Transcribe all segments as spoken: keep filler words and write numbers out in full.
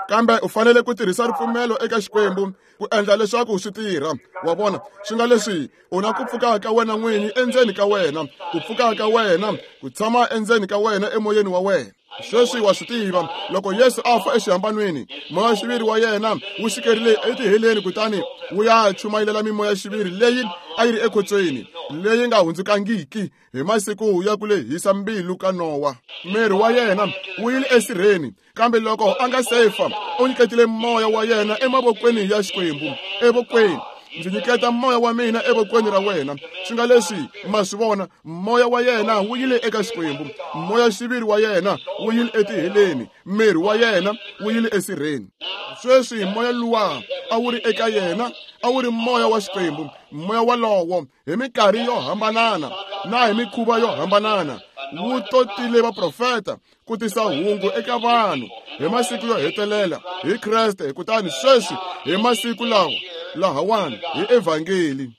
Kambe u fanele ku tirhisa ripfumelo eka Xikwembu ku endla leswaku swi tirha. Wa vona, swi nga leswi u na ku pfuka ka wena n'wini endzeni ka wena, ku pfuka ka wena, ku tshama endzeni ka wena emoyeni wa wena. Sweswi wa swi tiva, loko Yesu a fa exihambanweni, moya-xiviri wa yena wu xikerile etiheleni kutani wu ya chumayelela mimoya-xiviri leyi a yi ri ekhotsweni, leyi nga hundzukangiki hi masiku ya ku lehisa mbilu ka Nowa. Miri wa yena wu yile esirheni, kambe loko a nga se fa, u nyiketile moya wa yena emavokweni ya Xikwembu, evokweni. Ndzi nyiketa moya wa mina evokweni ra wena. Swi nga leswi ma swi vona, moya wa yena wu yile eka Xikwembu, moya-xiviri wa yena wu yile etiheleni, miri wa yena wu yile esirheni. Sweswi moya luwa a wu ri eka yena a wu ri moya wa Xikwembu. Moya walowo hi minkarhi yo hambanana na hi mikhuva yo hambanana wu totile vaprofeta ku tisa hungu eka vanhu hi masiku yo hetelela hi Kreste, kutani sweswi hi masiku lawa lahawani hi evhangeli.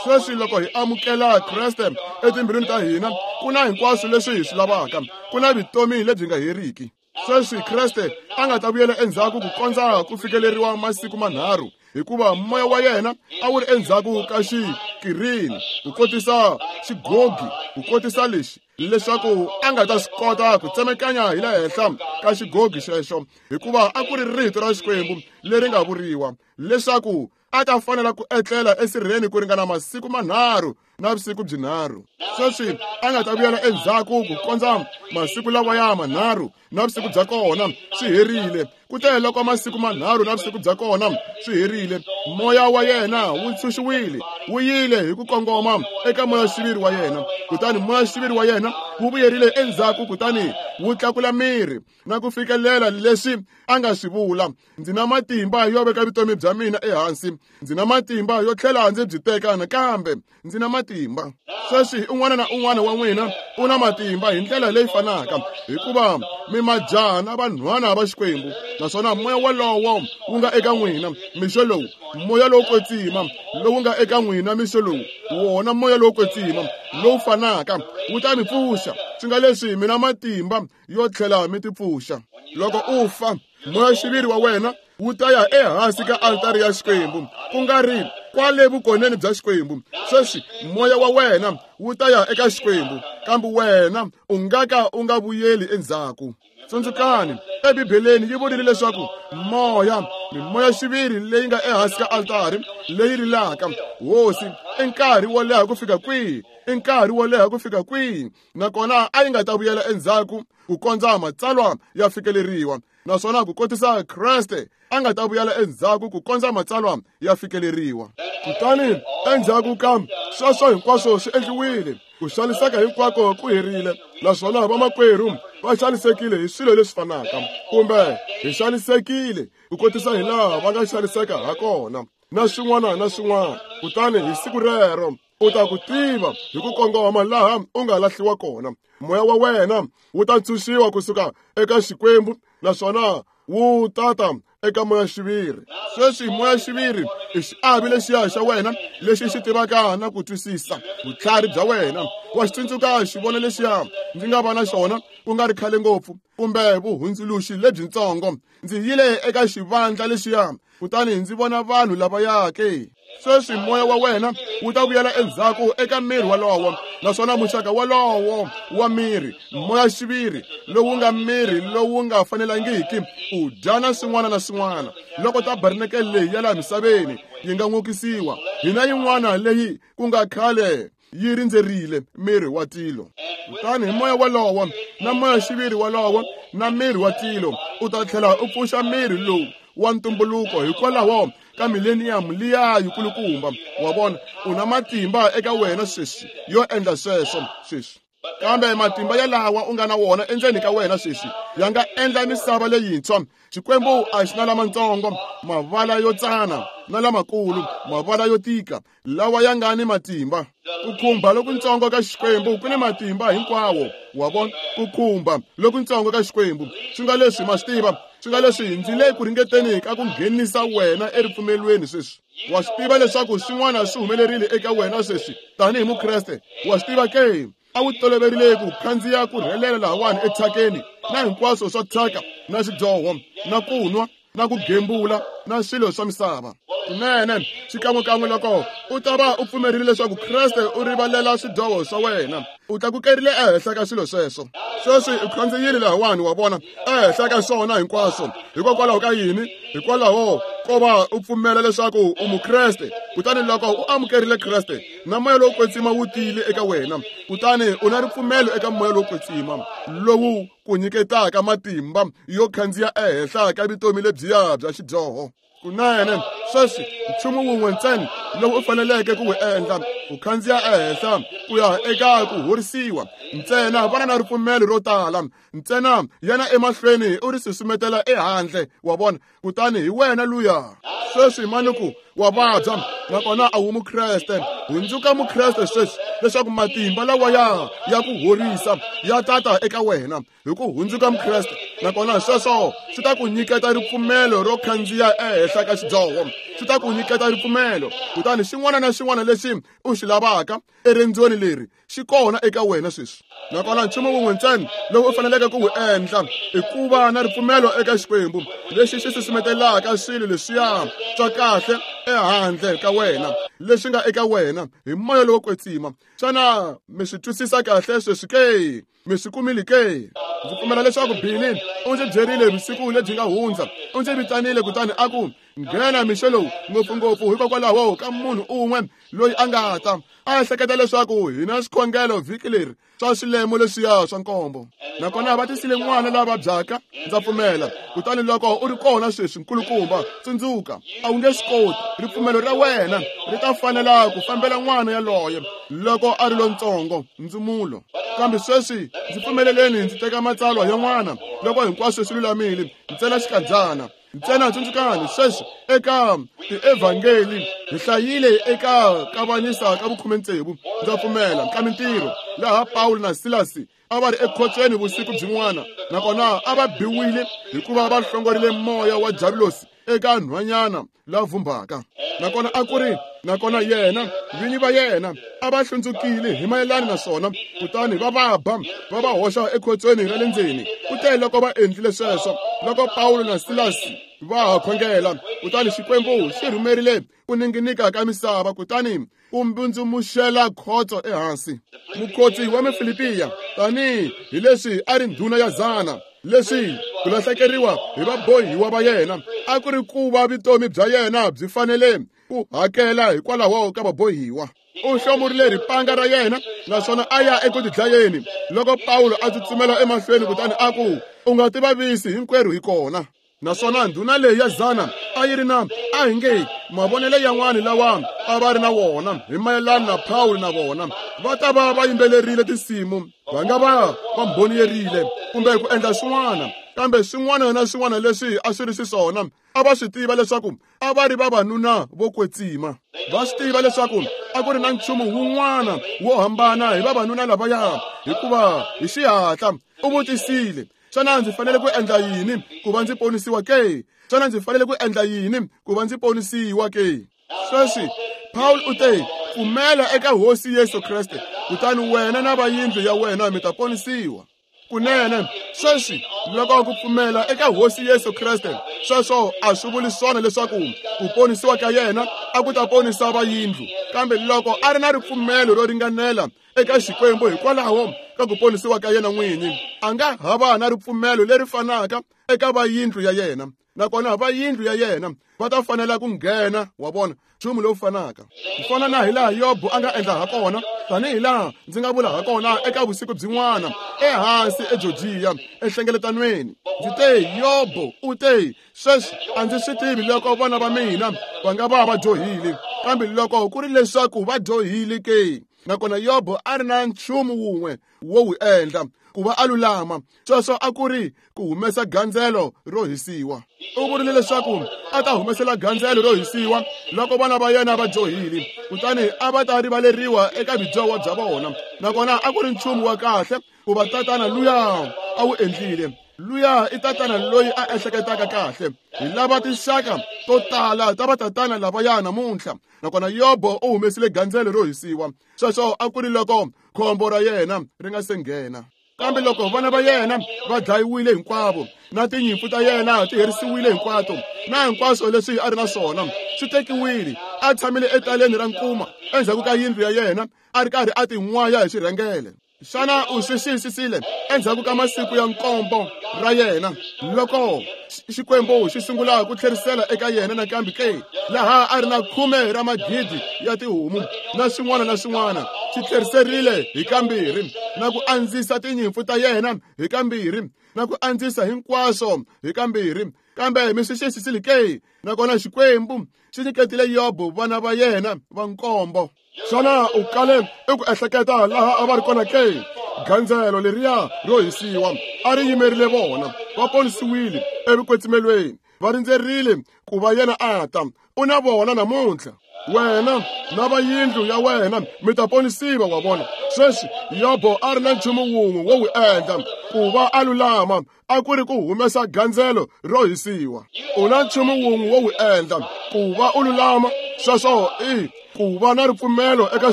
Sweswi loko hi amukela Kreste etimbilwini ta hina, ku na hinkwaswo leswi hi swi lavaka, ku na vutomi lebyi nga heriki. Sweswi Kreste a nga ta vuyela endzhaku ku kondza ku fikeleriwa masiku manharhu, hikuva moya wa yena a wu ri endzhaku ka xikirini ku kotisa xigogi, ku kotisa lexi, leswaku a nga ta swi kota ku tsemekanya hi le henhla ka xigogi xexo, hikuva a ku ri rito ra Xikwembu leri nga vuriwa leswaku a ta fanela ku etlela esirheni ku ringana masiku manharhu na vusiku byinharhu. Sweswi a nga ta vuyela endzhaku ku kondza masiku lawa ya manharhu na vusiku bya kona swi herile. Kute loko masiku manharhu na vusiku bya kona swi herile, moya wa yena wu ntshunxiwile, wu yile hi ku kongoma eka moya-xiviri wa yena. Kutani moya-xiviri wa yena wu vuyerile endzhaku, kutani wu tlakula miri na ku fikelela leswi a nga swi vula. Ndzi na matimba yo veka vutomi bya mina ehansi, ndzi na matimba yo tlhela ndzi byi teka nakambe, ndzi na matimba. Sweswi un'wana na un'wana wa n'wina u na matimba hi ndlela leyi fanaka, hikuva mi majaha na vanhwana va Xikwembu, naswona moya walowo wu nga eka n'wina mixo lowu, moya lowo kwetsima lowu nga eka n'wina mixo lowu, wona moya lowo kwetsima lowu fanaka wu ta mi pfuxa. Swi nga leswi mi na matimba yo tlhela mi tipfuxa. Loko u fa, moya-xiviri wa wena wu ta ya ehansi ka altari ya Xikwembu, ku nga ri kwale vukoneni bya Xikwembu. Sweswi moya wa wena wu ta ya eka Xikwembu, kambe wena u nga ka u nga vuyeli endzhaku. Tsundzukani, eBibeleni yi vurile leswaku moya, mimoya-xiviri leyi nga ehansi ka altari leyi rilaka, Hosi, i nkarhi wo leha ku fika kwihi? I nkarhi wo leha ku fika kwihi? Nakona a yi nga ta vuyela endzhaku ku kondza matsalwa ya fikeleriwa, naswona ku kotisa Kreste a nga ta vuyela endzhaku ku kondza matsalwa ya fikeleriwa. Kutani endzhaku ka sweswo hinkwaswo swi endliwile, ku xaniseka hinkwako ku herile, naswona vamakwerhu va xanisekile hi swilo leswi fanaka, kumbe hi xanisekile ku kotisa hi laha va nga xaniseka ha kona, na swin'wana na swin'wana. Kutani hi siku rero u ta ku tiva hi ku kongoma laha u nga lahliwa kona. Moya wa wena wu ta ntshunxiwa kusuka eka Xikwembu, naswona wu tata eka moya-xiviri. Sweswi moya-xiviri i xiave lexiya xa wena lexi xi tivaka na ku twisisa vutlhari bya wena. Wa xi tsundzuka xivono lexiya ndzi nga va na xona ku nga ri khale ngopfu, kumbe vuhundzuluxi lebyintsongo. Ndzi yile eka xivandla lexiya, kutani ndzi vona vanhu lavaya ke. Sweswi moya wa wena wu ta vuyela endzhaku eka miri walowo, naswona muxaka walowo wa miri, moya-xiviri lowu nga miri lowu nga fanelangiki u dya na swin'wana na swin'wana. Loko tabernakele leyi ya laha misaveni yi nga n'okisiwa, hina yin'wana leyi ku nga khale yi rindzerile miri wa tilo. Kutani hi moya walowo na moya-xiviri walowo na miri wa tilo, u ta tlhela u pfuxa miri lowu wa ntumbuluko hikwalaho ka millennium liya yikulukumba. Wa vona, u na matimba eka wena sweswi yo endla sweswo sweswi. Kambe matimba yalawa u nga na wona endzeni ka wena sweswi ya nga endla misava leyintshwa. Xikwembu a xi na lamatsongo mavala yo tsana na lamakulu, mavala yo tika, lawa ya nga ni matimba. Ku khumba lokuntsongo ka Xikwembu ku ni matimba hinkwawo. Wa vona, ku khumba lokuntsongo ka Xikwembu swi nga leswi ma swi tiva, swi nga leswi ndzi le ku ringeteni ka ku nghenisa wena eripfumelweni sweswi. Wa swi tiva leswaku swin'wana swi humelerile eka wena sweswi tanihi Mukreste. Wa swi tiva ke, a wu toloverile ku khandziya ku rhelela lahawani ethyakeni na hinkwaswo swa thyaka na xidyoho na ku nwa na ku gembula na swilo swa misava. Kunene xikan'wekan'we loko u ta va u pfumerile leswaku Kreste u rivalela swidyoho swa wena, u tlakukerile ehenhla ka swilo sweswo. Sweswi u khandziyile lahawani, wa vona, ehenhla ka swona hinkwaswo. Hikokwalaho ka yini? Hikwalaho ko va u pfumela leswaku u Mukreste. Kutani loko u amukerile Kreste na moya lowo kwetsima wu tile eka wena, kutani u na ripfumelo eka moya lowo kwetsima lowu ku nyiketaka matimba yo khandziya ehenhla ka vutomi lebyiya bya xidyoho. Kunene sweswi nchumu wun'we ntsena lowu u faneleke ku wu endla, u khandziya ehenhla ku ya eka ku horisiwa ntsena. Vana na ripfumelo ro tala ntsena, yana emahlweni u ri susumetela ehandle, wa vona, kutani hi wena luya. Sweswi manuku wa vabya nakona a wu Mukreste, hundzuka Mukreste sweswi leswaku matimba lawa ya ya ku horisa ya tata eka wena hi ku hundzuka Mukreste. Nakona sweswo swi ta ku nyiketa ripfumelo ro khandziya ehenhla ka xidyoho, swi ta ku nyiketa ripfumelo. Kutani xin'wana na xin'wana lexi u xi lavaka erendzweni leri xi kona eka wena sweswi. Nakona nchumu wun'we ntsena lowu u faneleke ku wu endla i ku va na ripfumelo eka Xikwembu lexi xi susumetelaka swilo leswiya swa kahle ehandle ka wena leswi nga eka wena hi moya lowo kwetsima. Xana mi swi twisisa kahle sweswi ke? Mi swi kumile ke? Ndzi pfumela leswaku Billy u ndzi byerile vusiku lebyi nga hundza, u ndzi vitanile kutani a ku, nghena mixo lowu, ngopfungopfu hikokwalaho ka munhu un'we loyi a nga ta a ehleketa leswaku hi na swikhongelo vhiki leri swa swilemo leswiya swa nkombo. Nakona va tisile n'wana la vabyaka, ndza pfumela. Kutani loko u ri kona sweswi, nkulukumba, tsundzuka, a wu nge swi koti. Ripfumelo ra wena ri ta fanela ku fambela n'wana yaloye loko a ri lontsongo, ndzumulo. Kambe sweswi ndzi pfumeleleni ndzi teka matsalwa yan'wana loko hinkwaswo swi lulamile, ntsena xikandzana. Ntsena tsundzukani sweswi eka tievhangeli hi hlayile eka kavanyisa ka vukhume tsevu, ndza pfumela, ka mintirho, laha Pawulo na Silasi a va ri ekhotsweni vusiku byin'wana, nakona a va biwile hikuva va hlongorile moya wa Javulosi eka nhwanyana la vumbaka. Nakona a ku ri nakona yena vinyi va yena a va hlundzukile hi mayelana na swona, kutani va va ba va va hoxa ekhotsweni ra le ndzeni. Kute loko va endlile sweswo, loko Pawulo na Silasi va ha khongela, kutani Xikwembu xi rhumerile ku ninginika ka misava kutani ku mbundzumuxela khotso ehansi. Mukhotsi wa Mufilipiya, tanihi hi leswi a ri ndhuna ya zana, leswi ku lahlekeriwa hi vabohiwa va yena a ku ri ku va vutomi bya yena byi fanele ku hakela hikwalaho ka vabohiwa. U hlomurile ripanga ra yena naswona a ya eku tidlayeni loko Pawulo a tsutsumela emahlweni kutani a ku, u nga tivavisi, hinkwerhu hi kona. Naswona ndhuna leyi ya zana a yi ri na a hi nge mavonelo yan'wana lawa a va ri na wona hi mayelana na Pawulo na vona va ta va va yimbelerile tinsimu, va nga va va mbhoniyerile kumbe ku endla swin'wana, kambe swin'wana na swin'wana leswi a swi ri xiswona a va swi tiva leswaku a va ri vavanuna vo kwetsima. Va swi tiva leswaku a ku ri na nchumu wun'wana wo hambana hi vavanuna lavaya, hikuva hi xihatla u vutisile, xana ndzi fanele ku endla yini ku va ndzi ponisiwa ke? Xana ndzi fanele ku endla yini ku va ndzi ponisiwa ke? Sweswi Paul u te, pfumela eka Hosi Yesu Kreste, kutani wena na va yindlu ya wena mi ta ponisiwa. Kunene sweswi loko ku pfumela eka Hosi Yesu Kreste, sweswo a swi vuli swona leswaku ku ponisiwa ka yena a ku ta ponisa va yindlu, kambe loko a ri na ripfumelo ro ringanela eka Xikwembu hikwalaho ka ku ponisiwa ka yena n'wini, a nga ha va na ripfumelo leri fanaka eka va yindlu ya yena, nakona va yindlu ya yena va ta fanela ku nghena, wa vona, nchumu lowu fanaka. Ku fana na hi laha Yobo a nga endla ha kona, tanihi laha ndzi nga vula ha kona eka vusiku byin'wana ehansi eGeorgia enhlengeletanweni, ndzi te, Yobo u te, sweswi a ndzi swi tivi loko vana va mina va nga va va dyohile, kambe loko ku ri leswaku va dyohile ke, nakona Yobo a ri na nchumu wun'we wo wu endla ku va a lulama, sweswo a ku ri ku humesa gandzelo ro hisiwa. U vurile leswaku a ta humesela gandzelo ro hisiwa loko vana va yena va dyohile, kutani a va ta rivaleriwa eka vudyoho bya vona. Nakona a ku ri nchumu wa kahle ku va tatana luya a wu endlile. Luya i tatana loyi a ehleketaka kahle. Hi lava tinxaka to tala ta vatatana lavaya namuntlha. Nakona Yobo u humesile gandzelo ro hisiwa. Sweswo a ku ri loko khombo ra yena ri nga se nghena. Kambe loko vana va yena va dlayiwile hinkwavo, na tinyimpfu ta yena ti herisiwile hinkwato, na hinkwaswo leswi a ri na swona swi tekiwile, a tshamile etaleni ra nkuma endzhaku ka yindlu ya yena, a ri karhi a tin'waya hi xirhengele. Xana u swi xiyisisile endzhaku ka masiku ya nkombo ra yena loko Xikwembu xi sungula ku tlherisela eka yena nakambe ke, laha a ri na khume ra magidi ya tihomu na swin'wana na swin'wana, xi tlheriserile hi kambirhi, na ku andzisa tinyimpfu ta yena hi kambirhi, na ku andzisa hinkwaswo hi kambirhi. Kambe mi swi xiyisisile ke? Nakona Xikwembu xi nyiketile Yobo vana va yena va nkombo. Xana u kale eku ehleketa laha a va ri kona ke? Gandzelo leriya ro hisiwa a ri yimerile vona, va ponisiwile evukwetsimelweni, va rindzerile ku va yena a ta. U na vona namuntlha, wena na va yindlu ya wena mi ta ponisiwa. Wa vona, sweswi Yobo a ri na nchumu wun'we wo wu endla ku va a lulama, a ku ri ku humesa gandzelo ro hisiwa. U na nchumu wun'we wo wu endla ku va u lulama, sweswo i ku va na ripfumelo eka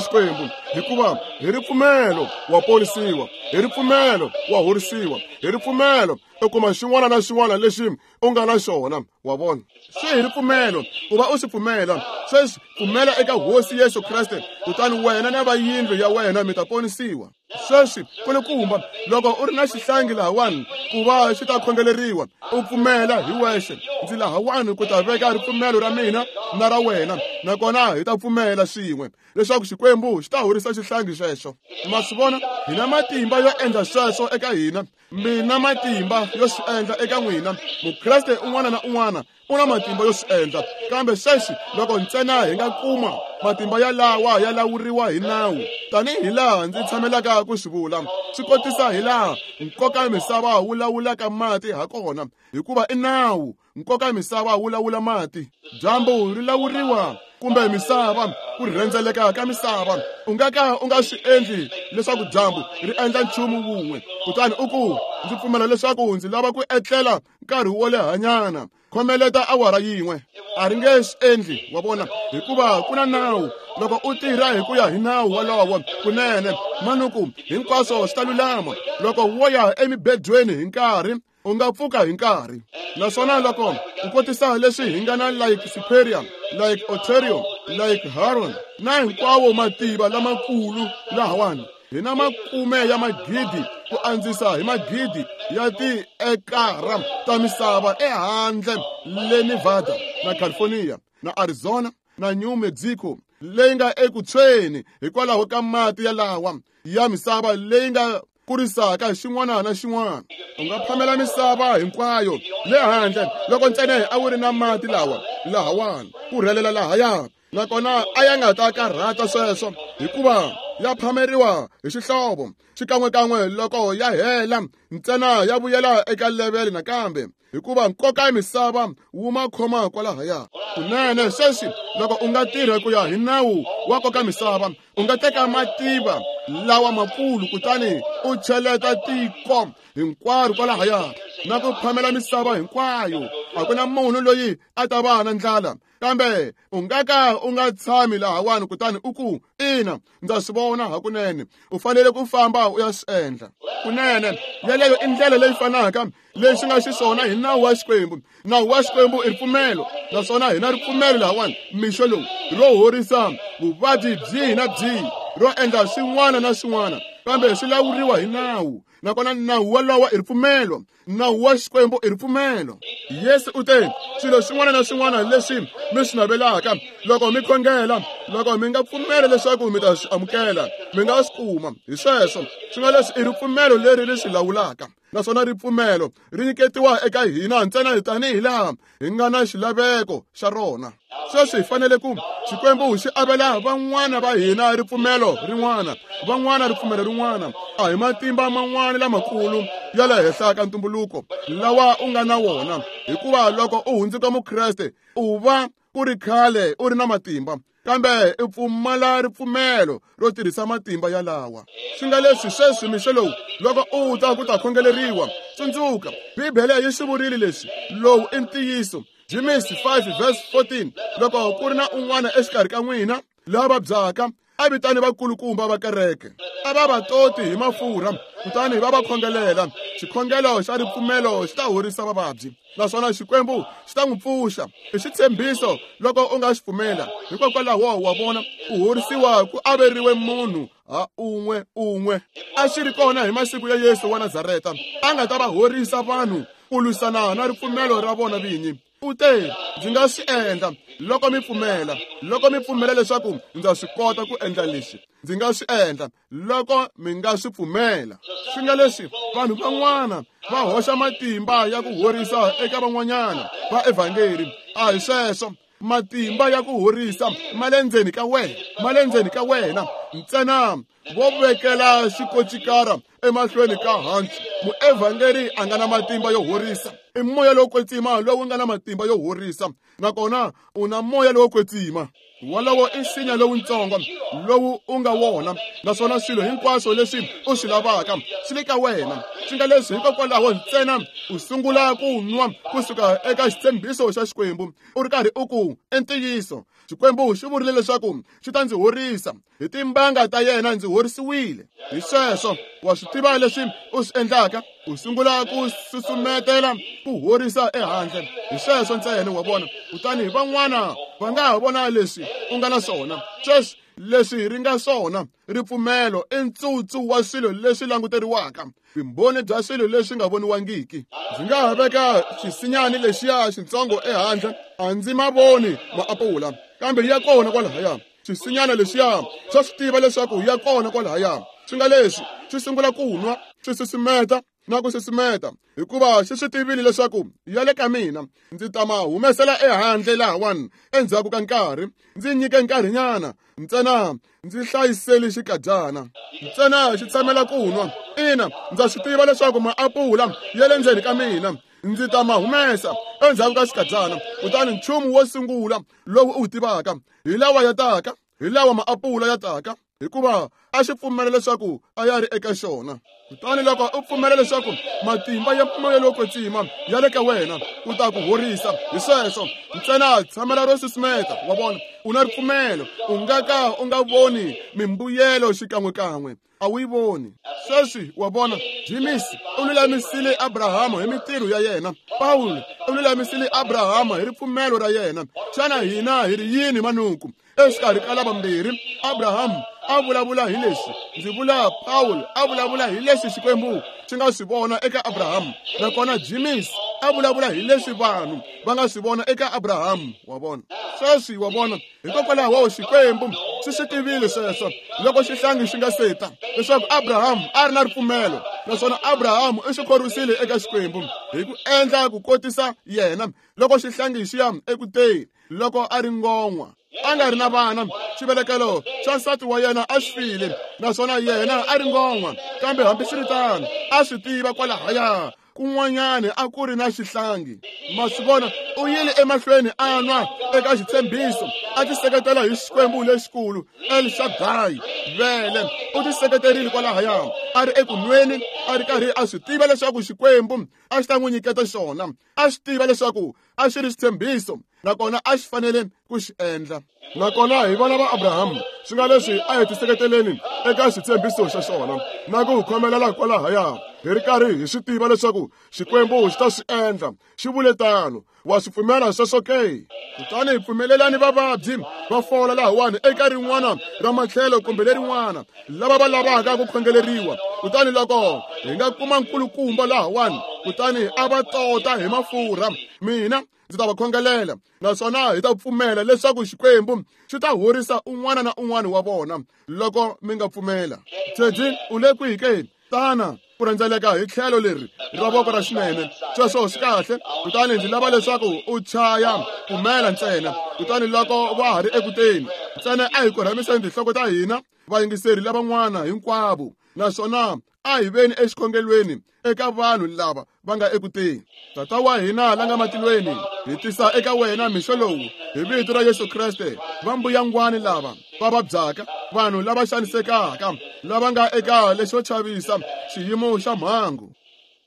Xikwembu, hikuva hi ripfumelo wa ponisiwa, hi ripfumelo wa horisiwa, hi ripfumelo u kuma xin'wana na xin'wana lexi u nga na xona. Wa vona, swi hi ripfumelo ku va u swi pfumela. Sweswi pfumela eka Hosi Yesu Kreste, kutani wena na va yindlu ya wena mi ta ponisiwa. Sweswi kulukumba, loko u ri na xihlangi lahawani ku va xi ta khongeleriwa, u pfumela hi wexe, ndzi lahawani ku ta veka ripfumelo ra mina na ra wena, nakona hi ta pfumela swin'we leswaku Xikwembu xi ta horisa xihlangi xexo. Ma swi vona, hi na matimba yo endla sweswo eka hina, mi na matimba yo swi endla eka n'wina. Mukreste un'wana na un'wana u na matimba yo swi endla. Kambe sweswi loko ntsena hi nga kuma matimba ya lawa ya lawuriwa hi nawu, tanihi laha ndzi tshamelaka ku swi vula, swi kotisa hi laha nkoka misava wu lawulaka mati hakona, hikuva i nawu. Nkoka misava wu lawula mati, dyambu ri lawuriwa kumbe misava, ku rhendzeleka ka misava. U nga ka u nga swi endli leswaku dyambu ri endla nchumu wun'we kutani u ku, ndzi pfumela leswaku ndzi lava ku etlela nkarhi wo lehanyana, khomeleta awara yin'we. A ri nge swi endli, wa vona, hikuva ku na nawu. Loko u tirha hi ku ya hi nawu wolowo kunene, manuku hinkwaswo swi ta lulama. Loko wo ya emibedweni hi nkarhi, u nga pfuka hi nkarhi. Naswona loko u kotisa leswi hi nga na Lake Superior, Lake Ontario, Lake Huron na hinkwawo mativa lamakulu lahawani, hi na makume ya magidi ku andzisa hi magidi ya tiekara ta misava ehandle le Nevada na California na Arizona na New Mexico leyi nga eku tshweni hikwalaho ka mati yalawa ya misava leyi nga kurisaka xin'wana na xin'wana. U nga phamela misava hinkwayo le handle loko ntsena a wu ri na mati lawa lahawani ku rhelela lahaya, nakona a ya nga ta karhata sweswo, hikuva ya phameriwa hi xihlovo xikan'wekan'we loko ya hela ntsena ya vuyela eka levele nakambe, hikuva nkoka ya misava wu ma khoma kwalahaya. Kunene sweswi loko u nga tirha ku ya hi nawu wa nkoka misava, u nga teka mativa lawa makulu kutani u cheleta tiko hinkwaro kwalahaya na ku phamela misava hinkwayo. A ku na munhu loyi a ta va na ndlala. Kambe u nga ka u nga tshami lahawani kutani u ku, ina, ndza swi vona hakunene. U fanele ku famba u ya swi endla. Kunene yeleyo i ndlela leyi fanaka lexi nga xiswona hi nawu wa Xikwembu. Nawu wa Xikwembu i ripfumelo, naswona hi na ripfumelo lahawani mixo lowu ro horisa vuvabyi byihi na byihi, ro endla swin'wana na swin'wana, kambe swi lawuriwa hi nawu. Nakona nawu wolowo i ripfumelo. Nawu wa Xikwembu i ripfumelo. Yesu u te, swilo swin'wana na swin'wana leswi mi swi navelaka loko mi khongela, loko mi nga pfumeli leswaku mi ta swi amukela, mi nga swi kuma. Hi sweswo swi nga leswi i ripfumelo leri ri swi lawulaka, naswona ripfumelo ri nyiketiwa eka hina ntsena tanihi laha hi nga na xilaveko xa rona. Sweswi hi fanele ku Xikwembu xi avela van'wana va hina ripfumelo rin'wana, van'wana ripfumelo rin'wana. A hi matimba man'wana lamakulu ya le henhla ka ntumbuluko lawa u nga na wona, hikuva loko u hundzuka Mukreste u va ku ri khale u ri na matimba, kambe i pfumala ripfumelo ro tirhisa matimba yalawa. Swi nga leswi sweswi mixo lowu loko u ta ku ta khongeleriwa, tsundzuka Bibele yi swi vurile leswi, lowu i ntiyiso. James five verse fourteen, loko ku ri na un'wana exikarhi ka n'wina la vabyaka, A vitani vakulukumba va kereke, a va va toti hi mafurha, kutani va va khongelela. Xikhongelo xa ripfumelo xi ta horisa vavabyi, naswona Xikwembu xi ta n'wi pfuxa. I xitshembiso loko u nga xi pfumela. Hikokwalaho wa vona, ku horisiwa ku averiwe munhu ha un'we un'we. A xi ri kona hi masiku ya Yesu wa Nazareta, a nga ta va horisa vanhu ku lwisana na ripfumelo ra vona vinyi. U te, ndzi nga swi endla loko mi pfumela, loko mi pfumela leswaku ndza swi kota ku endla lexi, ndzi nga swi endla loko mi nga swi pfumela. Swi nga leswi vanhu van'wana va hoxa matimba ya ku horisa eka van'wanyana va evhangeli. A hi sweswo. Matimba ya ku horisa ma le ndzeni ka wena, ma le ndzeni ka wena ntsena. Vo vekela xikocikara emahlweni ka hansi. Muevhangeli a nga na matimba yo horisa. I moya lowo kwetsima lowu nga na matimba yo horisa, nakona u na moya lowo kwetsima. Wolowo i nsinya lowutsongo lowu u nga wona, naswona swilo hinkwaswo leswi u swi lavaka swi le ka wena. Swi nga leswi hikokwalaho ntsena u sungula ku nwa kusuka eka xitshembiso xa Xikwembu, u ri karhi u ku, i ntiyiso, Xikwembu xi vurile leswaku xi ta ndzi horisa, hi timbanga ta yena ndzi horisiwile. Hi sweswo wa swi tiva leswi u swi endlaka, u sungula ku susumetela ku horisa ehandle. Hi sweswo ntsena wa vona. Kutani van'wana va nga ha vona leswi u nga na swona. Sweswi leswi ri nga swona ripfumelo i ntsutsu wa swilo leswi languteriwaka, vumbhoni bya swilo leswi nga voniwangiki. Ndzi nga ha veka xisinyani lexiya xitsongo ehandle, a ndzi ma voni maapula, kambe ya kona kwalahaya. Xisinyana lexiya xa swi tiva leswaku ya kona kwalahaya. Swi nga leswi swi sungula ku nwa, swi susumeta na ku susumeta, hikuva xi swi tivile leswaku ya le ka mina. Ndzi ta ma humesela ehandle lahawani endzhaku ka nkarhi. Ndzi nyike nkarhinyana ntsena, ndzi hlayiseli xikadyana ntsena, xi tshamela ku nwa. Ina, ndza swi tiva leswaku maapula ya le ndzeni ka mina, ndzi ta ma humesa endzhaku ka xikadyana. Kutani nchumu wo sungula lowu u wu tivaka hi lawa ya taka, hi lawa maapula ya taka, hikuva a xi pfumela leswaku a ya ri eka xona. Kutani loko u pfumela leswaku matimba ya moya lowo kwetsima ya le ka wena, u ta ku horisa. Hi sweswo ntsena tshamela ro susumeta. Wa vona, u na ripfumelo, u nga ka u nga voni mimbuyelo xikan'wekan'we, a wu yi voni. Sweswi wa vona, Jimisi u lulamisile Abrahama hi mintirho ya yena, Pawulo u lulamisile Abrahama hi ripfumelo ra yena. Xana hina hi ri yini manuku exikarhi ka lavambirhi? Abraham a vulavula hi leswi, ndzi vula Pawulo a vulavula hi leswi Xikwembu xi nga swi vona eka Abraham, nakona Jimisi a vulavula hi leswi vanhu va nga swi vona eka Abraham. Wa vona sweswi, wa vona, hikokwalaho Xikwembu xi swi tivile sweswo loko xihlangi xi nga seta leswaku Abraham a ri na ripfumelo, naswona Abraham u xi khorwisile eka Xikwembu hi ku endla ku kotisa yena loko xihlangi xi ya ekuteni loko a ri ngon'wa, a nga ri na vana. Xivelekelo xa nsati wa yena a xi file, naswona yena a ri ngon'wa, kambe hambiswiritano a swi tiva kwalahaya kun'wanyani a ku ri na xihlangi. Ma swi vona, u yile emahlweni a nwa eka xitshembiso, a tiseketela hi Xikwembu lexikulu El Shaddai. Vele u tiseketerile kwalahaya, a ri eku nweni, a ri karhi a swi tiva leswaku Xikwembu a xi ta n'wi nyiketa xona, a swi tiva leswaku a xi ri xitshembiso, nakona a xi fanele ku xi endla. Nakona hi vana va Abraham, swi nga leswi a hi tiseketeleni eka xitshembiso xa xona na ku khomelela kwalahaya, hi ri karhi hi swi tiva leswaku Xikwembu xi ta swi endla. Xi vule tano. Wa swi pfumela sweswo ke? Kutani hi pfumelelani vavabyi va fola lahawani eka rin'wana ra matlhelo kumbe lerin'wana, lava va lavaka ku khongeleriwa. Kutani loko hi nga kuma nkulukumba lahawani, kutani a va tota hi mafurha, mina ndzi ta va khongelela, naswona hi ta pfumela leswaku Xikwembu xi ta horisa un'wana na un'wana wa vona loko mi nga pfumela. Teddy, u le kwihi ke? Tana ku rhendzeleka hi tlhelo leri ra voko ra xinene. Sweswo swi kahle. Kutani ndzi lava leswaku u chaya pfumela ntsena. Kutani loko va ha ri ekuteni ntsena, a hi korhamiseni tinhloko ta hina, vayingiseri lavan'wana hinkwavo, naswona a hi veni exikhongelweni eka vanhu lava va nga ekuteni. Tata wa hina la nga matilweni, hi tisa eka wena mixo lowu hi vito ra Yesu Kreste va mbuyangwani lava va vabyaka, vanhu lava xanisekaka, lava nga eka lexo chavisa xiyimo xa mhangu.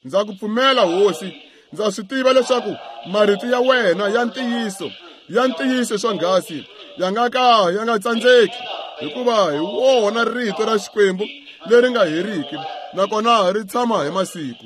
Ndza ku pfumela Hosi, ndza swi tiva leswaku marito ya wena ya ntiyiso, ya ntiyiso swonghasi, ya nga ka ya nga tsandzeki. hikuva hi wona rito ra Xikwembu leri nga heriki nakona ri tshama hi masiku.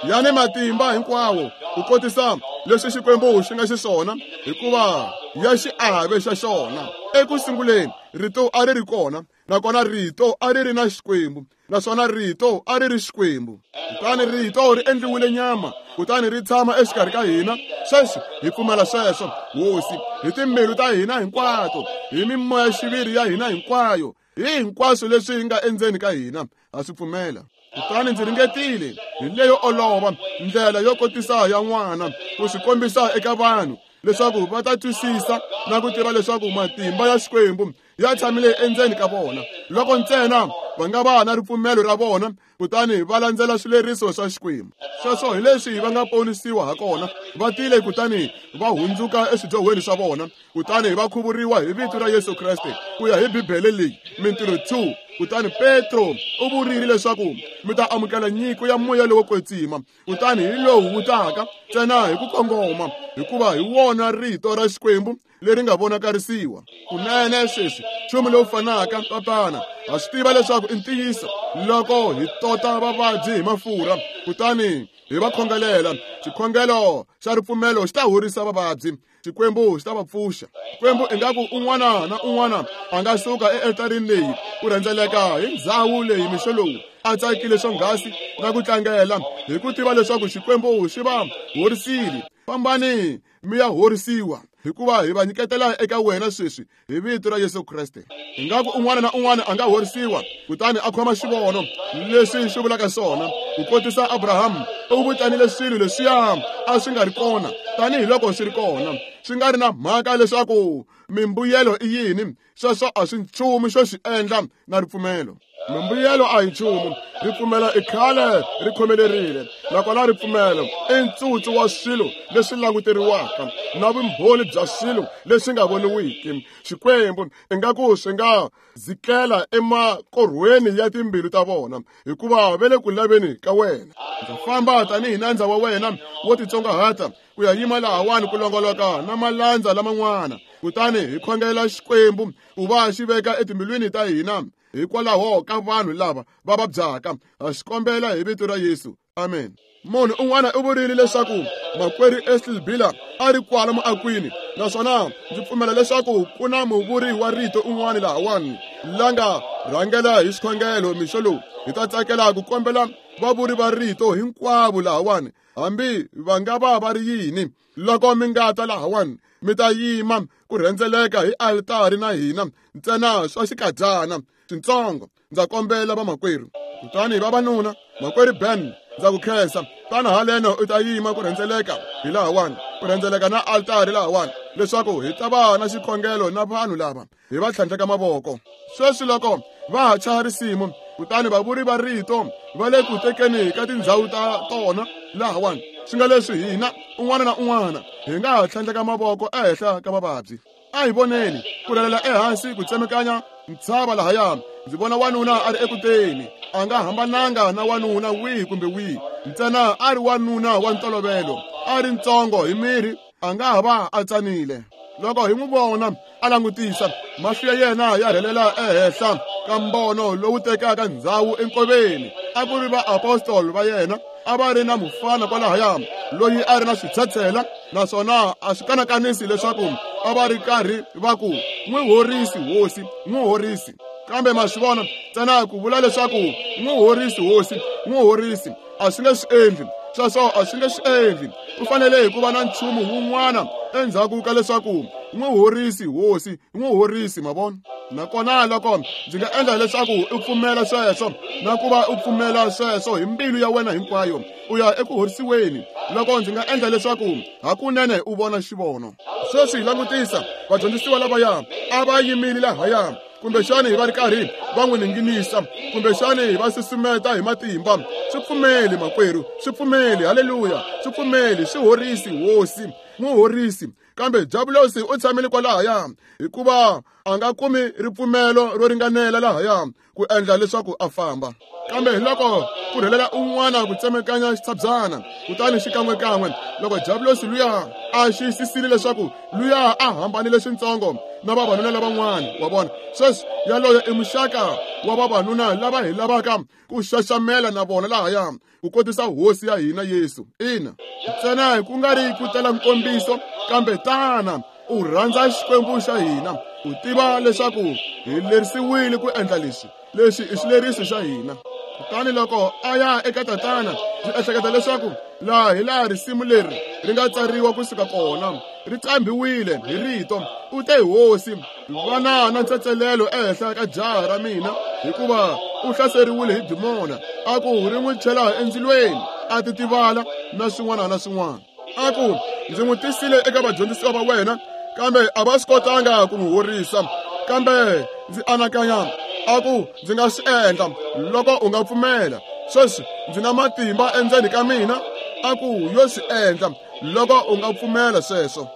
Ya ni matimba hinkwawo ku kotisa leswi Xikwembu xi nga xiswona, hikuva ya xiave xa xona. Eku sunguleni rito a ri ri kona, nakona rito a ri ri na Xikwembu, naswona rito a ri ri Xikwembu. Kutani rito ri endliwile nyama, kutani ri tshama exikarhi ka hina. Sweswi hi pfumela sweswo, Hosi, hi timbilu ta hina hinkwato, hi mimoya-xiviri ya hina hinkwayo, hi hinkwaswo leswi nga endzeni ka hina, ha swi pfumela. Kutani ndzi ringetile hi leyo olova ndlela yo kotisa ya n'wana ku swi kombisa eka vanhu leswaku va ta twisisa na ku tiva leswaku matimba ya Xikwembu ya tshamile endzeni ka vona, loko ntsena va nga va na ripfumelo ra vona kutani va landzela swileriso swa Xikwembu. Sweswo hi leswi va nga ponisiwa ha kona. Va tile kutani va hundzuka eswidyohweni swa vona, kutani va khuvuriwa hi vito ra Yesu Kreste ku ya hi Bibele leyi, Mintirho two. Kutani Petro u vurile leswaku mi ta amukela nyiko ya moya lowo kwetsima, kutani hi lowu wu taka ntsena hi ku kongoma, hikuva hi wona rito ra Xikwembu leri nga vonakarisiwa. Kunene sweswi nchumu lowu fanaka, Tatana, ha swi tiva leswaku i ntiyiso loko hi tota vavabyi hi mafurha kutani hi va khongelela. Xikhongelo xa ripfumelo xi ta horisa vavabyi, Xikwembu xi ta va pfuxa. Xikwembu ingaku un'wana na un'wana a nga suka ealtarini leyi ku rhendzeleka hi ndzhawu leyi mixo lowu a tsakile swonghasi na ku tlangela hi ku tiva leswaku Xikwembu xi va horisile. Fambani mi ya horisiwa, hikuva hi va nyiketela eka wena sweswi hi vito ra Yesu Kreste. Ingaku un'wana na un'wana a nga horisiwa kutani a khoma xivono leswi xi vulaka swona. Ku kotisa Abraham u vitanile swilo leswiya a swi nga ri kona tanihiloko swi ri kona, swi nga ri na mhaka leswaku mimbuyelo i yini. Sweswo a swi nchumu xo xi endla na ripfumelo. Mimbuyelo a hi nchumu, ripfumelo i khale ri khomelerile, nakona ripfumelo i ntsutsu wa swilo leswi languteriwaka na vumbhoni bya swilo leswi nga voniwiki. Xikwembu ingaku swi nga zikela emakorhweni ya timbilu ta vona, hikuva va le ku laveni ka wena. Ndza famba tanihi nandza wa wena wo titsongahata ku ya yima lahawani ku longoloka na malandza laman'wana, kutani hi khongela Xikwembu ku va xi veka etimbilwini ta hina hikwalaho ka vanhu lava va vabyaka. Ha xi kombela hi vito ra Yesu, amen. Munhu un'wana u vurile leswaku makwerhu Esli Bila a ri kwala muakwini, naswona ndzi pfumela leswaku ku na muvuri wa rito un'wana lahawani la nga rhangela hi xikhongelo mixo lowu. Hi ta tsakela ku kombela vavuri va rito hinkwavo lahawani, hambi va nga va va ri yini. Loko mi nga ta lahawani, mi ta yima ku rhendzeleka hi altari na hina ntsena swa xikadyana swintsongo. Ndza kombela vamakwerhu. Kutani vavanuna, makwerhu Ben, ndza ku khensa. Tana haleno u ta yima ku rhendzeleka hi lahawani, ku rhendzeleka na altari lahawani, leswaku hi ta va na xikhongelo na vanhu lava hi va tlhandleka mavoko. Sweswi loko va ha chaya risimu, kutani vavuri va rito va le ku tekeni ka tindhawu ta tona lahawani, swi nga leswi hina un'wana na un'wana hi nga ha tlhandleka mavoko ehenhla ka vavabyi. A hi voneni ku rhelela ehansi ku tsemekanya ntshava lahaya. Ndzi vona wanuna a ri ekuteni, a nga hambananga na wanuna wihi kumbe wihi, ntsena a ri wanuna wa ntolovelo, a ri ntsongo hi miri, a nga ha va a tsanile. Loko hi n'wi vona a langutisa, mahlo ya yena ya rhelela ehenhla ka mbono lowu tekaka ndzhawu enkoveni. A ku ri vaapostoli va yena, a va ri na mufana kwalahaya loyi a ri na switshetshela, naswona a swi kanakanisi leswaku a va ri karhi va ku n'wi horisi Hosi, n'wi horisi. Kambe ma swi vona, ntsena ku vula leswaku n'wi horisi Hosi, n'wi horisi, a swi nge swi endli. Sweswo a swi nge swi endli. Ku fanele hi ku va na nchumu wun'wana endzhaku ka leswaku n'wi horisi Hosi, n'wi horisi, ma vona. Nakona loko ndzi nga endla leswaku u pfumela sweswo na ku va u pfumela sweswo hi mbilu ya wena hinkwayo, u ya eku horisiweni. Loko ndzi nga endla leswaku hakunene u vona xivono. Sweswi hi langutisa vadyondzisiwa lavaya a va yimile lahaya, kumbexani va ri karhi va n'wi ninginisa, kumbexani va susumeta hi matimba. Swi pfumeli makwerhu, swi pfumeli, haleluya, swi pfumeli, swi horisi Hosi, n'wi horisi. Kambe Diabulosi u tshamile kwalahaya hikuva a nga kumi ripfumelo ro ringanela lahaya ku endla leswaku a famba. Kambe hi loko ku rhelela un'wana ku tsemekanya xitshabyana, kutani xikan'wekan'we loko Diabulosi luya a xiyisisile leswaku luya a hambanile swintsongo na vavanuna lavan'wana wa vona. Sweswi yaloyo i muxaka wa vavanuna lava hi lavaka ku xaxamela na vona lahaya ku kotisa hosi ya hina Yesu. Ina, ntsena ku nga ri ku tela nkombiso, kambe tana u rhandza Xikwembu xa hina, u tiva leswaku hi lerisiwile ku endla leswi. Leswi i xileriso xa hina. Kutani loko a ya eka tatana, ndzi ehleketa leswaku laha hi laha risimu leri ri nga tsariwa kusuka kona, ri qambiwile hi rito. U te, hosi, vana na ntsetselelo ehenhla ka jaha ra mina, hikuva u hlaseriwile hi dimona. A ku ri n'wi chela endzilweni, a titivala na swin'wana na swin'wana. A ku ndzi n'wi tisile eka vadyondzisiwa va wena, kambe a va swi kotanga ku n'wi horisa. Kambe ndzi anakanya, a ku ndzi nga swi endla loko u nga pfumela. Sweswi ndzi na matimba endzeni ka mina, a ku yo swi endla loko u nga pfumela sweswo.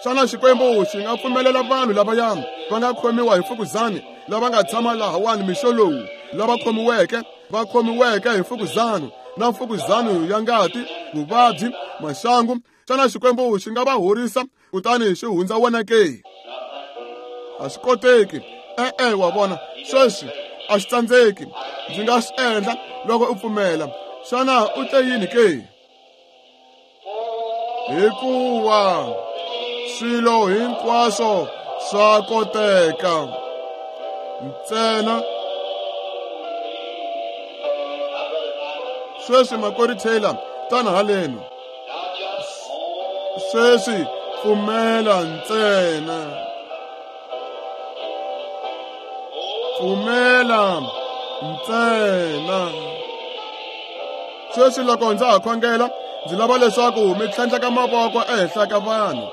Xana Xikwembu xi nga pfumelela vanhu lavaya va nga khomiwa hi mfukuzani, lava nga tshama lahawani mixo lowu, lava khomiweke va khomiweke hi mfukuzani na mfukuzani ya ngati, vuvabyi, maxangu? Xana Xikwembu xi nga va horisa kutani xi hundza wena ke? A swi koteki. E-e, wa vona, sweswi a swi tsandzeki. Ndzi nga swi endla loko u pfumela. Xana u te yini ke? Hikuva swilo hinkwaswo swa koteka ntsena. Sweswi makwerhu Taylor, tana haleno. Sweswi pfumela ntsena. Pfumela ntsena. Sweswi loko ndza ha khongela, ndzi lava leswaku mi tlhandleka mavoko ehenhla ka vanhu,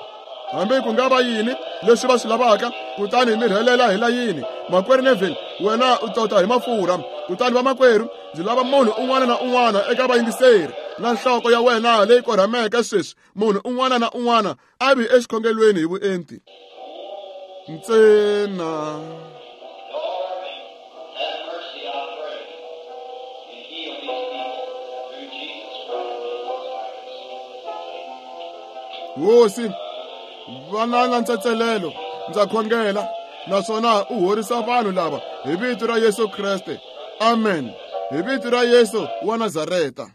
hambi ku nga va yini leswi va swi lavaka, kutani mi rhelela hi layini. Makwerhu Neville, wena u tota hi mafurha. Kutani vamakwerhu, ndzi lava munhu un'wana na un'wana eka vayingiseri na nhloko ya wena leyi korhameke sweswi, munhu un'wana na un'wana a vi exikhongelweni hi vuenti ntsena. Hosi, vana na ntsetselelo, ndza khongela, naswona u horisa vanhu lava hi vito ra Yesu Kreste. Amen. Hi vito ra Yesu wa Nazareta.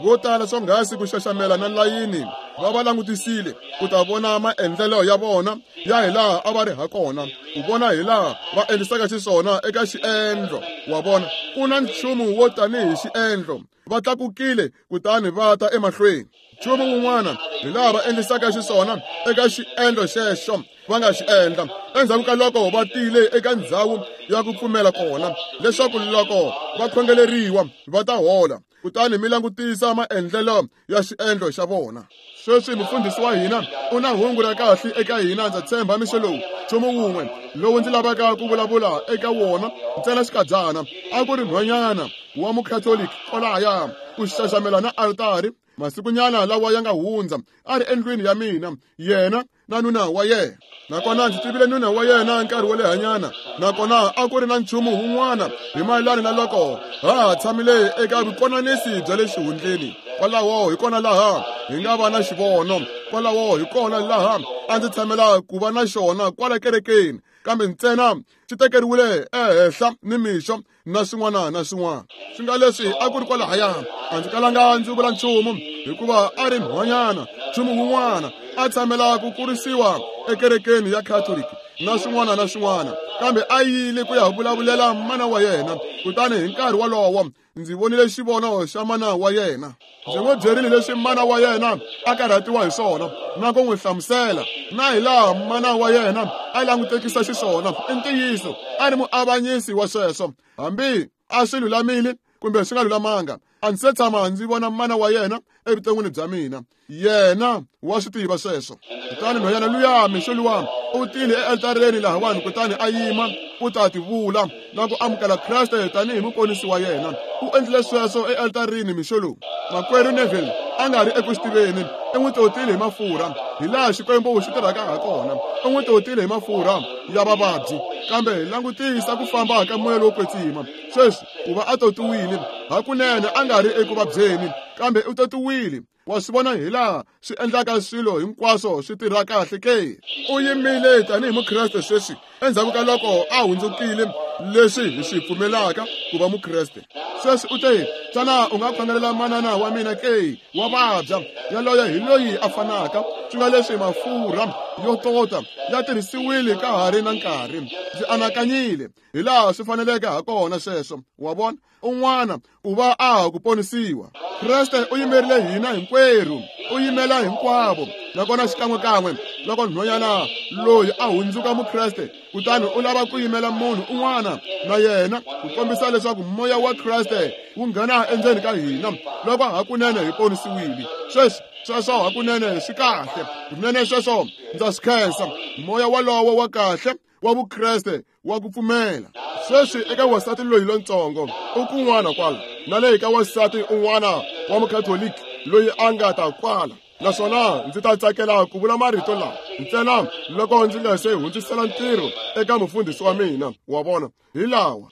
Vo tala swonghasi ku xaxamela na layini va va langutisile ku ta vona maendlelo ya vona ya hilaha a va ri ha kona, ku vona hilaha va endlisaka xiswona eka xiendlo. Wa vona, ku na nchumu wo tanihi xiendlo. Va tlakukile kutani va ta emahlweni. Nchumu wun'wana hilaha va endlisaka xiswona eka xiendlo xexo va nga xi endla endzhaku ka loko va tile eka ndhawu ya ku pfumela kona, leswaku loko va khongeleriwa va ta hola. Kutani mi langutisa maendlelo ya xiendlo xa vona. Sweswi mufundhisi wa hina u na hungu ra kahle eka hina, ndza tshemba mixo lowu. Nchumu wun'we lowu ndzi lavaka ku vulavula eka wona ntsena xikadyana, a ku ri nhwanyana wa mukhatoliki kwalahaya ku xaxamela na altari masikunyana lawa ya nga hundza, a ri endlwini ya mina, yena na nuna wa yena. Nakona ndzi tivile nuna wa yena nkarhi wo lehanyana, nakona a ku ri na nchumu wun'wana hi mayelana na loko ha ha tshamile eka vukonanisi bya le xihundleni. Kwalaho hi kona laha hi nga va na xivono, kwalaho hi kona laha a ndzi tshamela ku va na xona kwala kerekeni, kambe ntsena xi tekeriwile ehenhla ni mixo na swin'wana na swin'wana. Swi nga leswi a ku ri kwalahaya, a ndzi kalanga ndzi vula nchumu, hikuva a ri nhwanyana, nchumu wun'wana a tshamela ku kurisiwa ekerekeni ya Catholic na swin'wana na swin'wana, kambe a yile ku ya vulavulela mana wa yena. Kutani hi nkarhi wolowo ndzi vonile xivono xa mana wa yena. Ndzi n'wi byerile leswi mana wa yena a karhatiwa hi swona na ku n'wi hlamusela na hilaha mana wa yena a langutekisa xiswona. I ntiyiso, a ri muavanyisi wa sweswo, hambi a swi lulamile kumbe swi nga lulamanga. A ndzi se tshama ndzi vona mana wa yena evuton'wini bya mina, yena wa swi tiva sweswo. Kutani nhwanyana luya mixo luwa u tile ealtareni lahawani, kutani a yima ku ta tivula na ku amukela Kreste tanihi muponisi wa yena. U endlile sweswo ealtarini mixo lowu. Makwerhu Neville a nga ri eku swi tiveni, i n'wi totile hi mafurha hilaha Xikwembu xi tirhaka ha kona. U n'wi totile hi mafurha ya vavabyi, kambe langutisa ku famba ka moya lowo kwetsima. Sweswi ku va a totiwile hakunene a nga ri eku vabyeni, kambe u totiwile. Wa swi vona hi laha swi endlaka swilo hinkwaswo swi tirha kahle ke? U yimile tanihi mukreste sweswi endzhaku ka loko a hundzukile leswi hi swi pfumelaka ku va mukreste. Sweswi u te, xana u nga khongelela manana wa mina ke? Wa vabya. Yaloye hi loyi a fanaka. Swi nga leswi mafurha yo tota ya tirhisiwile ka ha ri na nkarhi. Ndzi anakanyile hi laha swi faneleke ha kona sweswo. Wa vona? Un'wana u va a ha ku ponisiwa. Kreste u yimerile hina hinkwerhu, u yimela hinkwavo. Nakona xikan'wekan'we loko nhwanyana loyi a hundzuka mukreste, kutani u lava ku yimela munhu un'wana na yena ku kombisa leswaku moya wa Kreste wu nghena endzeni ka hina loko hakunene hi ponisiwile. Sweswi sweswo hakunene swi kahle, kunene sweswo ndza swi khensa. Moya walowo wa kahle wa vukreste wa ku pfumela. Sweswi eka wansati loyi lontsongo u kun'wana kwala, na le ka wansati un'wana wa mukhatoliki loyi a nga ta kwala. Naswona ndzi ta tsakela ku vula marito lawa ntsena loko ndzi nga se hundzisela ntirho eka mufundhisi wa mina. Wa vona? Hi lawa.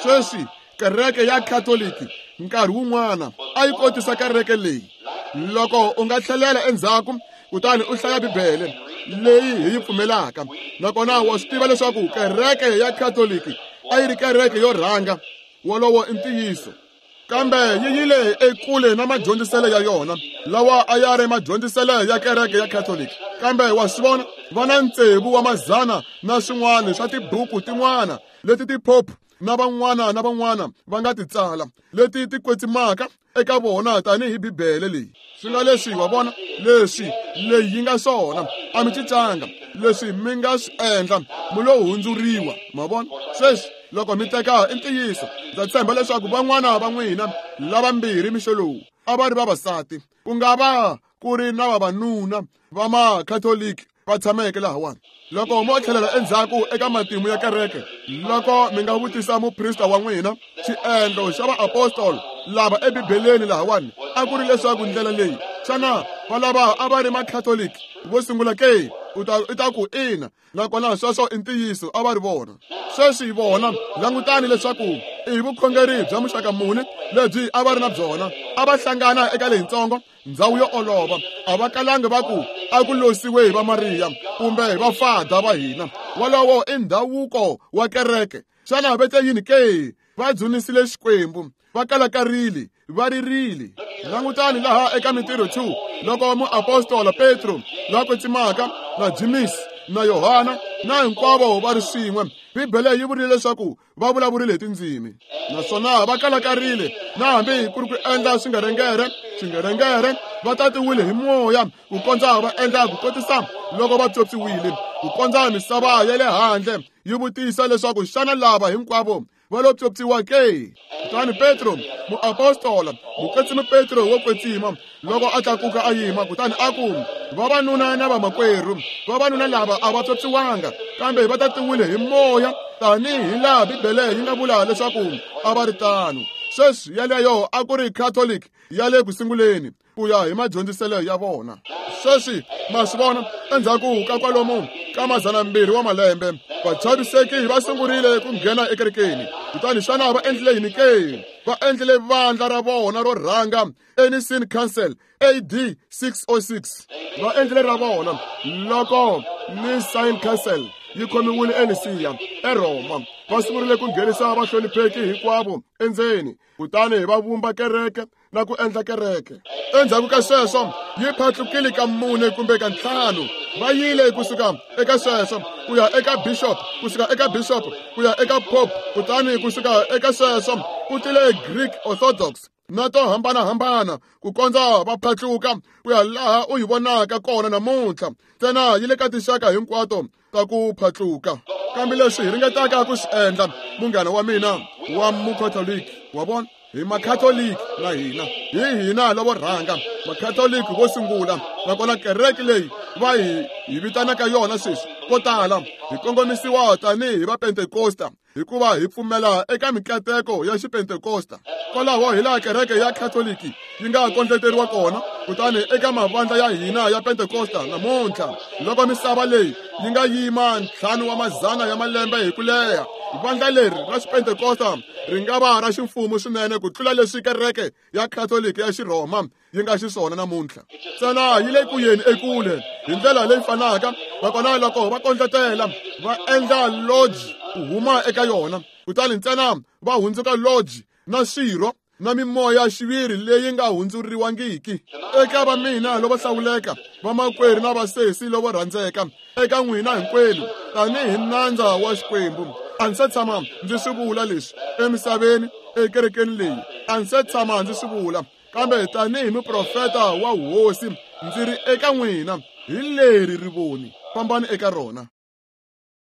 Sweswi kereke ya Khatoliki nkarhi wun'wana a yi kotisa kereke leyi. Loko u nga tlhelela endzhaku kutani u hlaya Bibele leyi hi yi pfumelaka, nakona wa swi tiva leswaku kereke ya Khatoliki a yi ri kereke yo rhanga. Wolowo i ntiyiso. Kambe yi yile ekule na madyondziselo ya yona lawa a ya ri madyondziselo ya kereke ya Khatoliki. Kambe wa swi vona, va na tsevu wa mazana na swin'wana swa tibuku tin'wana leti tiphophu na van'wana na van'wana va nga ti tsala leti ti kwetsimaka eka vona tanihi Bibele leyi. Swi nga leswi, wa vona, leswi leyi yi nga swona a mi cincanga. Leswi mi nga swi endla mi lo hundzuriwa. Ma vona? Sweswi loko mi teka i ntiyiso, ndza tshemba leswaku van'wana va n'wina lavambirhi mixo lowu a va ri vavasati, ku nga va ku ri na vavanuna va makhatoliki va tshameke lahawani. Loko mo tlhelela endzhaku eka matimu ya kereke, loko mi nga vutisa muprista wa n'wina xiendlo xa vaapostolo lava ebibeleni lahawani a ku ri leswaku ndlela leyi, xana va lava a va ri makhatoliki vo sungula ke? U ta u ta ku ina. Nakona sweswo i ntiyiso, a va ri vona. Sweswi vona, langutani leswaku i vukhongeri bya muxaka muni lebyi a va ri na byona. A va hlangana eka leyitsongo ndhawu yo olova. A va kalanga va ku a ku losiwe hi va Mariya kumbe hi vafada va hina. Wolowo i ndhavuko wa kereke. Xana va te yini ke? Va dzunisile Xikwembu, va kalakarile, va ririle. Langutani laha eka Mintirho two, loko muapostola Petro la kwetsimaka na James na Yohana na hinkwavo va ri swin'we, Bibele yi vurile leswaku va vulavurile hi tindzimi. Naswona va kalakarile, na hambi ku ri ku endla swingerengere, swingerengere va tatiwile hi moya ku kondza va endla ku kotisa loko va pyopyiwile, ku kondza misava ya le handle yi vutisa leswaku xana lava hinkwavo va lo pyopyiwa ke? Kutani Petro muapostola, mukwetsimi Petro wo kwetsima, loko a tlakuka a yima, kutani a ku, vavanuna na vamakwerhu, vavanuna lava a va pyopyiwanga, kambe va tatiwile hi moya tanihi laha Bibele yi nga vula leswaku a va ri tano. Sweswi yaleyo a ku ri Catholic ya le ku sunguleni ku ya hi madyondziselo ya vona. Sweswi ma swi vona, endzhaku ka kwalomu ka mazana mbirhi wa malembe, vachaviseki va sungurile ku nghena ekerekeni. Kutani xana va endlile yini ke? Va endlile vandla ra vona ro rhanga, Nicene Council, A D six oh six. Va endlile ra vona loko Nicene Council yi khomiwile eNisiya eRoma. Va sungurile ku nghenisa vahlonipheki hinkwavo endzeni, kutani va vumba kereke na ku endla kereke. Endzhaku ka sweswo yi phatlukile ka mune kumbe ka ntlhanu. Va yile kusuka eka sweswo ku ya eka bishop, kusuka eka bishop ku ya eka pope, kutani kusuka eka sweswo ku tile Greek Orthodox na to hambanahambana ku kondza va phatluka ku ya laha u yi vonaka kona namuntlha. Ntsena yi le ka tinxaka hinkwato ta ku phatluka. Kambe leswi hi ringetaka ku swi endla, munghana wa mina wa mukhatoliki, wa vona, hi makhatoliki na hina, hi hina lavo rhanga makhatoliki vo sungula. Nakona kereke leyi va hi hi vitanaka yona sweswi ko tala hi kongomisiwa tanihi va Pentekosta, hikuva hi pfumela eka mikateko ya xipentekosta. Kwalaho hi laha kereke ya Khatoliki yi nga kondleteriwa kona. Kutani eka mavandla ya hina ya Pentekosta namuntlha, loko misava leyi yi nga yima ntlhanu wa mazana ya malembe hi ku leha Vandla leri ra Xipentekosta ri nga va ra ximfumo swinene ku tlula leswi kereke ya Khatoliki ya Xirhoma yi nga xiswona namuntlha. Ntsena yi le ku yeni ekule hi ndlela leyi fanaka, nakona loko va kondletela va endla lodge ku huma eka yona, kutani ntsena va hundzuka lodge na swirho na mimoya xiviri leyi nga hundzuriwangiki. Eka va mina lavo hlawuleka, vamakwerhu na vasesi lavo rhandzeka, eka n'wina hinkwenu tanihi nandza wa Xikwembu, a ndzi se tshama ndzi swi vula leswi emisaveni ekerekeni leyi, a ndzi se tshama ndzi swi vula, kambe tanihi muprofeta wa hosi ndzi ri eka n'wina, hi leri rivoni, fambani eka rona.